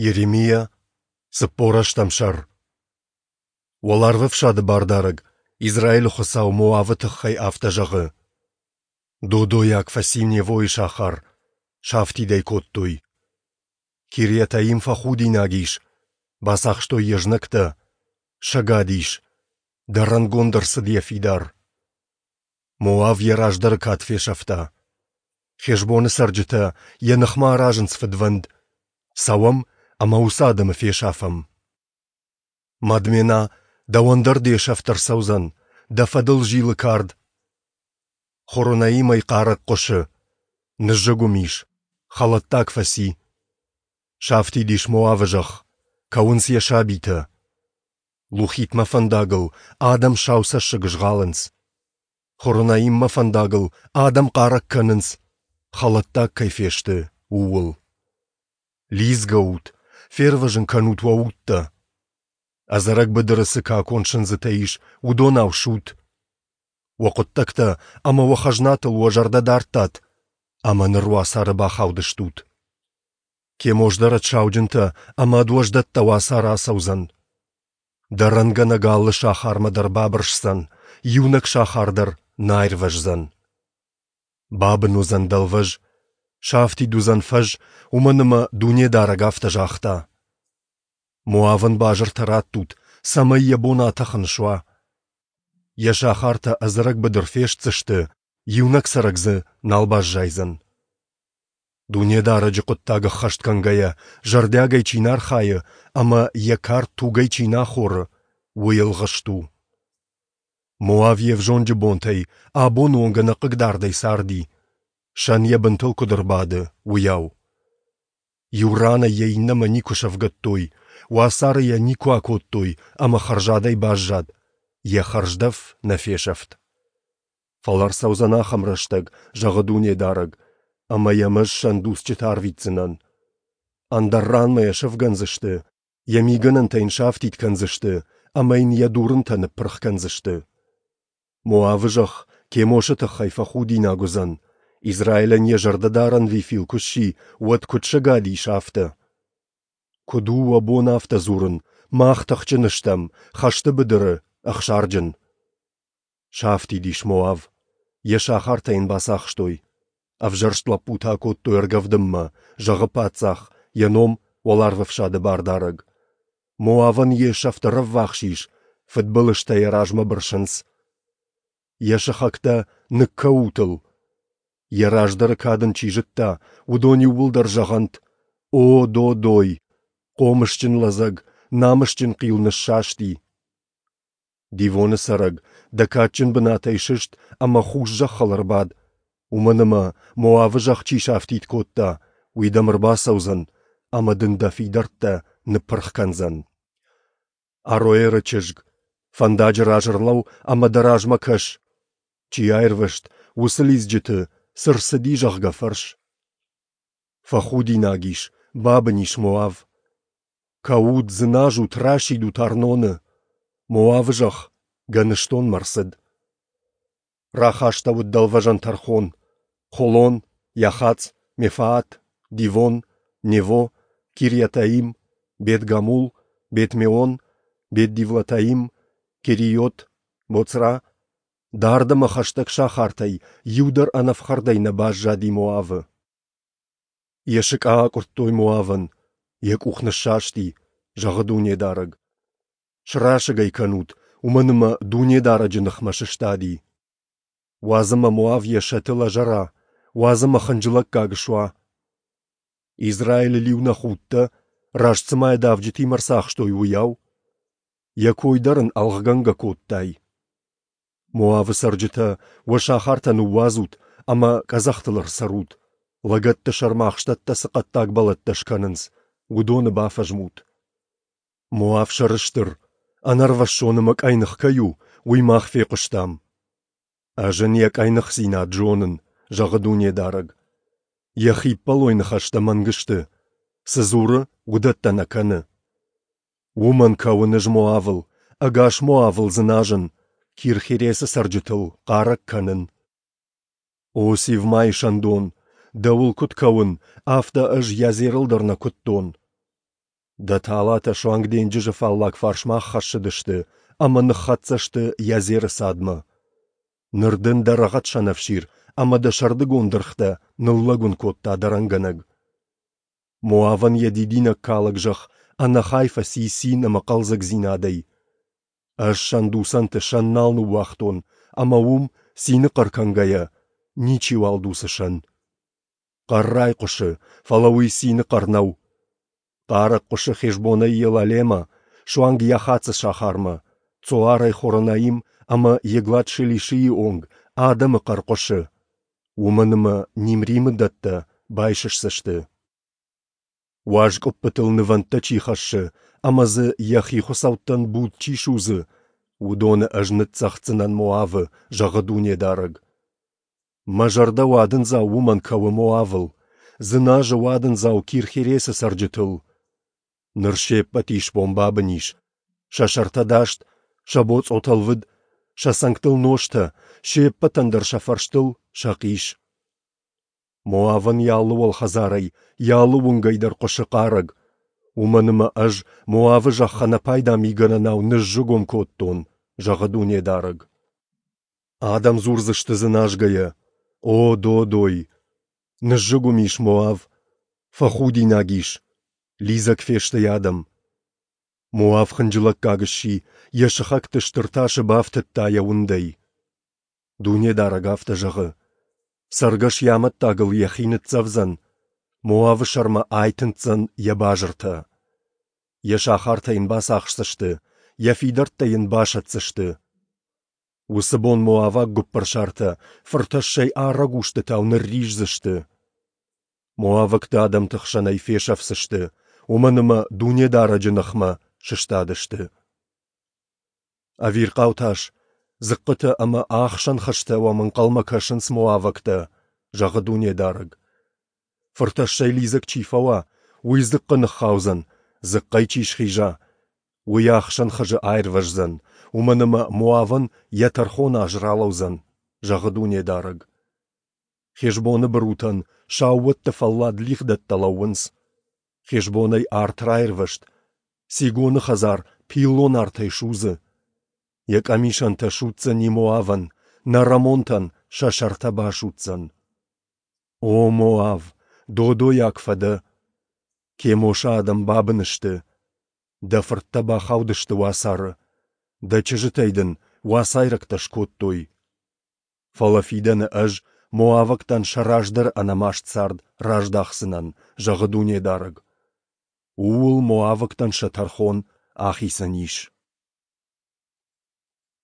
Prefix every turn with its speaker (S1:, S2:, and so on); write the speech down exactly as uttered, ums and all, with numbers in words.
S1: Йеремиа, цыппор ӕстӕм сӕр. Уӕларвӕфсады Бардарӕг, Израилы Хуыцау Моавы тыххӕй афтӕ зӕгъы: Додойаг фӕци Невойы сахар, сафтид ӕй кодтой. Кирйатаим фӕхудинаг ис, бацахстой йӕ знӕгтӕ, сӕгад ис, дӕрӕнгонд ӕрцыд йӕ фидар. Моав йӕ раздӕры кад фесӕфта. Хешбоны цӕрджытӕ йӕ ныхмӕ аразынц фыдвӕнд: цӕуӕм ӕмӕ уыцы адӕмы фесафӕм. Мадмена, дӕуӕн дӕр де сӕфт ӕрцӕудзӕн, дӕ фӕдыл зилы кард. Хоронаимӕй хъарӕг хъуысы, ныззыгуым ис, хӕлӕттаг фӕци. Сафтид ис Моавы зӕхх, кӕуынц йӕ сабитӕ. Лухитмӕ фӕндагыл адӕм сау цӕссыг згъалынц. Хоронаиммӕ фӕндагыл адӕм хъарӕг кӕнынц, хӕлӕттаг кӕй фесты, ууыл. Лидзгӕ ут, фервӕзын кӕнут уӕ удтӕ! Ӕдзӕрӕг быдыры цы какон сындзытӕ ис, уыдонау сут! Уӕ хъуыддӕгтӕ ӕмӕ уӕ хӕзнатыл уӕ зӕрдӕ дардтат, ӕмӕ ныр уацары бахаудыстут. Кемос дӕр ӕд сауджынтӕ ӕмӕ ӕд уӕздӕттӕ уацары ацӕудзӕн. Дӕрӕнгӕнӕг алы сахармӕ дӕр бабырсдзӕн, иунӕг сахар дӕр нӕ аирвӕздзӕн. Бабын уыдзӕн дӕлвӕз, сафтид уыдзӕн фӕз, уымӕн ӕмӕ Дунедарӕг афтӕ загъта. Моавӕн базыртӕ раттут, цӕмӕй йӕ бон атӕхын суа. Йӕ сахартӕ ӕдзӕрӕг быдыр фестдзысты, иунӕг цӕрӕг дзы нал баззайдзӕн. Дунедарӕджы хъуыддаг ӕххӕст кӕнгӕйӕ, зӕрдиагӕй чи нӕ архайы ӕмӕ йӕ кард тугӕй чи нӕ ахоры, уый ӕлгъыст у. Моав йе взонджы бонтӕй абоны онг ӕнӕхъыгдардӕй царди, сӕн йӕ бынтыл куыд ӕрбады, уыйау. Иу ранӕй йӕ иннӕмӕ никуы сӕвгӕдтой, уацары йӕ никуы акодтой ӕмӕ хӕрзадӕй баззад, йӕ хӕрздӕф нӕ фесӕфт. Фӕлӕ ӕрцӕудзӕн ахӕм рӕстӕг, зӕгъы Дунедарӕг, ӕмӕ йӕм ӕз сӕндуцджытӕ арвитдзынӕн. Ӕндӕр ранмӕ йӕ сӕвгӕндзысты, йӕ мигӕнӕнтӕ йын сафтид кӕндзысты ӕмӕ йын йӕ дурынтӕ ныппырх кӕндзысты. Моавы зӕхх Кемосы тыххӕй фӕхудинаг уыдзӕн, Израилӕн йӕ зӕрдӕдарӕн Вефил куы сси, уӕд куыд сӕгад ис, афтӕ. Куыд у уӕ бон афтӕ дзурын, мах тыхджын стӕм, хӕсты быдыры, ӕхсарджын? Сафтид ис Моав, йӕ сахартӕ йын бацахстой. Ӕвзӕрст лӕппутӕ акодтой ӕргӕвдынмӕ, зӕгъы паддзах, йӕ ном Уӕларвӕфсады Бардарӕг. Моавӕн йе сӕфт ӕрӕввахс ис, фыдбылызтӕ йӕ размӕ бырсынц. Йӕ сыхӕгтӕ ныккӕут ыл. Йӕ раздӕры кад ын чи зыдта, уыдон иууылдӕр зӕгъӕнт: «О, додой! Хъомысджын лӕдзӕг, намысджын хъил ныссасти!» Дивоны цӕрӕг, дӕ кадджын бынатӕй сыст ӕмӕ хус зӕххыл ӕрбад, уымӕн ӕмӕ Моавы зӕхх чи сафтид кодта, уый дӕм ӕрбацӕудзӕн ӕмӕ дын дӕ фидӕрттӕ ныппырх кӕндзӕн. Ароэры чызг, фӕндаджы раз ӕрлӕуу ӕмӕ дӕ размӕ кӕс. Чи аирвӕзт, уыцы лидзджыты, цы рцыди, зӕгъгӕ, фӕрс. Фӕхудинаг ис, бабын ис Моав. Кӕут, дзыназут, расидут Арноны. Моавы зӕхх гӕныстонмӕ рцыд. Рахастӕуыд дӕлвӕзӕн тӕрхон: Холон, Яхац, Мефаат, Дивон, Нево, Кирйатаим, Бет-Гамул, Бет-Меон, Бет-Дивлатаим, Керийот, Боцра, дард ӕмӕ хӕстӕг сахартӕй иу дӕр ӕнӕфхӕрдӕй нӕ баззади Моавы. Йӕ сыкъа акъуырдтой Моавӕн, йӕ къух ныссасти, зӕгъы Дунедарӕг. Срасыг ӕй кӕнут, уымӕн ӕмӕ Дунедарӕджы ныхмӕ сыстади. Уадз ӕмӕ Моав йӕ сӕты лӕзӕра, уадз ӕмӕ хынджылӕггаг суа. Израилыл-иу нӕ худтӕ, раст цыма йӕ давджытимӕ ӕрцахстой, уыйау. Йӕ кой дӕр ын ӕлгъгӕнгӕ кодтай. Моавы цӕрджытӕ, уӕ сахартӕ ныууадзут ӕмӕ къӕдзӕхтыл ӕрцӕрут, лӕгӕтты сӕрмӕ ахстӕттӕ цы хъӕддаг бӕлӕттӕ скӕнынц, уыдоны бафӕзмут. Моав сӕрыстыр, ӕнӕрвӕссон ӕмӕ къӕйных кӕй у, уый мах фехъуыстам. Ӕз ын йӕ къӕйныхдзинад зонын, зӕгъы Дунедарӕг. Йӕ хиппӕлой ныхӕстӕ мӕнг сты, цы дзуры, уыдӕттӕ нӕ кӕны. Уымӕн кӕуын ӕз Моавыл, ӕгас Моавыл дзыназын, Кир-Хересы цӕрджытыл хъарӕг кӕнын. О Сивмайы сӕндон, дӕуыл куыд кӕуын, афтӕ ӕз Язерыл дӕр нӕ куыдтон. Дӕ талатӕ суанг денджызы фаллаг фарсмӕ аххӕссыдысты ӕмӕ ныххӕццӕ сты Иазеры цадмӕ. Ныр дын дӕ рӕгъӕд сӕнӕфсир ӕмӕ дӕ сӕрдыгон дыргътӕ ныллӕгуын кодта дӕрӕнгӕнӕг. Моавӕн йӕ дидинӕгкалӕг зӕхх ӕнӕхай фӕци цин ӕмӕ хъӕлдзӕгдзинадӕй. Ӕз сӕндуцӕнты сӕн нал ныууагътон, ӕмӕ уым, цины хъӕр кӕнгӕйӕ, ничиуал дуцы сӕн. Хъӕр райхъуысы, фӕлӕ уый цины хъӕр нӕу. Хъарӕг хъуысы Хешбонӕй Елалемӕ, суанг Яхацы сахармӕ, Цоарӕй Хоронаим ӕмӕ Еглат-Шелишийы онг адӕмы хъӕр хъуысы, уымӕн ӕмӕ Нимримы дӕттӕ байсысдзысты. Уаз къуыппытыл нывӕндтӕ чи хӕссы ӕмӕ дзы йӕхи хуыцӕуттӕн буд чи судзы, уыдоны ӕз ныццӕгъддзынӕн Моавы, зӕгъы Дунедарӕг. Мӕ зӕрдӕ уадындзау уымӕн кӕуы Моавыл, дзыназы уадындзау Кир-Хересы цӕрджытыл. Ныр се ппӕт исбон бабын ис, сӕ сӕртӕ даст, сӕ боцъотӕ лвыд, сӕ цӕнгтыл ностӕ, се ппӕтӕн дӕр сӕ фӕрстыл сӕхъис. Моавӕн йӕ алы уӕлхӕдзарӕй, йӕ алы уынгӕй дӕр хъуысы хъарӕг, уымӕн ӕмӕ ӕз Моавы зӕхх ӕнӕпайда мигӕнӕнау ныззыгуым кодтон, зӕгъы Дунедарӕг. Адӕм дзурдзысты дзыназгӕйӕ: «О, додой! Ныззыгуым ис Моав, фӕхудинаг ис, лидзӕг фесты йӕ адӕм». Моав хынджылӕггаг сси, йӕ сыхӕгты стыр тасы бафтыдта йӕ уындӕй. Дунедарӕг афтӕ зӕгъы: Цӕргӕс йӕ амӕттагыл йӕхи ныццӕвдзӕн, Моавы сӕрмӕ айтындздзӕн йӕ базыртӕ. Йӕ сахартӕ йын бацахсдзысты, йӕ фидӕрттӕ йын басӕтдзысты. Уыцы бон моаваг гуыппырсартӕ фыртӕссӕй арӕг устытау нырриздзысты. Моавӕгты адӕмты хсӕнӕй фесӕфдзысты, уымӕн ӕмӕ Дунедарӕджы ныхмӕ сыстадысты. Ӕвирхъау тас, дзыхъхъытӕ ӕмӕ ӕхсӕн хызтӕ уӕм ӕнхъӕлмӕ кӕсынц моавӕгтӕ, зӕгъы Дунедарӕг. Фыртӕссӕй лидзӕг чи фӕуа, уый дзыхъхъы ныххаудзӕн, дзыхъхъӕй чи схиза, уый ӕхсӕн хызы аирвӕздзӕн, уымӕн ӕмӕ Моавӕн йӕ тӕрхоны аз ралӕудзӕн, зӕгъы Дунедарӕг. Хешбоны бырутӕн саууӕтты фӕллад лигъдӕттӕ лӕууынц. Хешбонӕй арт раирвӕзт, Сигоны хӕдзар пиллон артӕй судзы. Йӕ къӕмисӕнтӕ судздзӕни Моавӕн, нӕрӕмонтӕн сӕ сӕртӕ басудздзӕн. О Моав, додойаг фӕдӕ! Кемосы адӕм бабын сты. Дӕ фырттӕ бахаудысты уацары, дӕ чызджытӕй дын уацайрӕгтӕ скодтой. Фӕлӕ фидӕны ӕз моавӕгтӕн сӕ раздӕры ӕнӕмаст цард раздахдзынӕн, зӕгъы Дунедарӕг. Ууыл моавӕгтӕн сӕ тӕрхон ахицӕн ис.